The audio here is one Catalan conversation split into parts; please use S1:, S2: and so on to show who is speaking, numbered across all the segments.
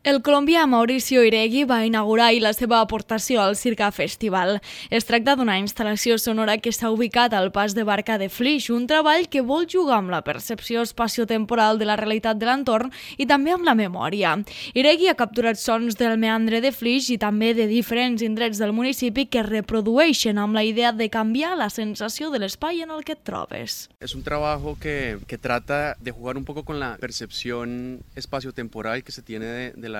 S1: El colombià Mauricio Iregui va inaugurar ahir la seva aportació al Sirga Festival. Es tracta d'una instal·lació sonora que s'ha ubicat al pas de barca de Flix, un treball que vol jugar amb la percepció espaciotemporal de la realitat de l'entorn i també amb la memòria. Iregui ha capturat sons del meandre de Flix i també de diferents indrets del municipi que reprodueixen amb la idea de canviar la sensació de l'espai en el que et trobes.
S2: Es un trabajo que trata de jugar un poco con la percepción espaciotemporal que se tiene de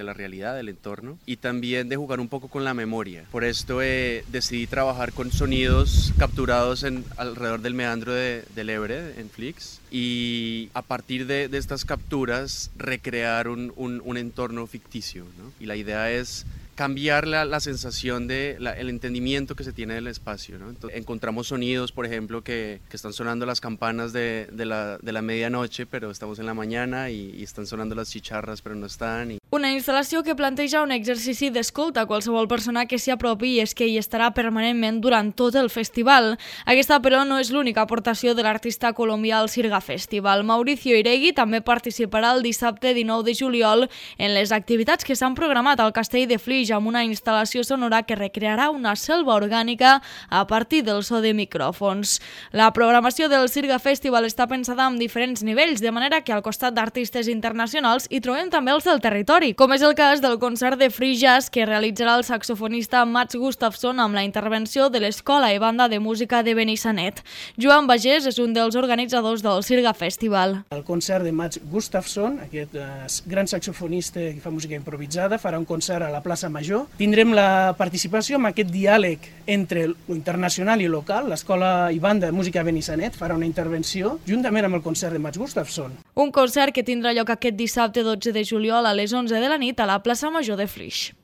S2: la realidad, del entorno, y también de jugar un poco con la memoria. Por esto decidí trabajar con sonidos capturados alrededor del meandro del Ebre, en Flix, y a partir de estas capturas recrear un entorno ficticio, ¿no? Y la idea es cambiar la sensación el entendimiento que se tiene del espacio, ¿no? Entonces, encontramos sonidos, por ejemplo, que están sonando las campanas de la medianoche, pero estamos en la mañana y están sonando las chicharras, pero no están.
S1: Una instal·lació que planteja un exercici d'escolta a qualsevol persona que s'hi apropi i és que hi estarà permanentment durant tot el festival. Aquesta, però, no és l'única aportació de l'artista colombià al Sirga Festival. Mauricio Iregui també participarà el dissabte 19 de juliol en les activitats que s'han programat al Castell de Flix amb una instal·lació sonora que recrearà una selva orgànica a partir del so de micròfons. La programació del Sirga Festival està pensada en diferents nivells, de manera que al costat d'artistes internacionals hi trobem també els del territori, com és el cas del concert de Free Jazz que realitzarà el saxofonista Mats Gustafsson amb la intervenció de l'Escola i Banda de Música de Benissanet. Joan Bagés és un dels organitzadors del Sirga Festival.
S3: El concert de Mats Gustafsson, aquest gran saxofonista que fa música improvisada, farà un concert a la plaça Major. Tindrem la participació amb aquest diàleg entre lo internacional i local. L'Escola i Banda de Música de Benissanet farà una intervenció juntament amb el concert de Mats Gustafsson.
S1: Un concert que tindrà lloc aquest dissabte 12 de juliol a les 11 de la nit a la plaça Major de Flix.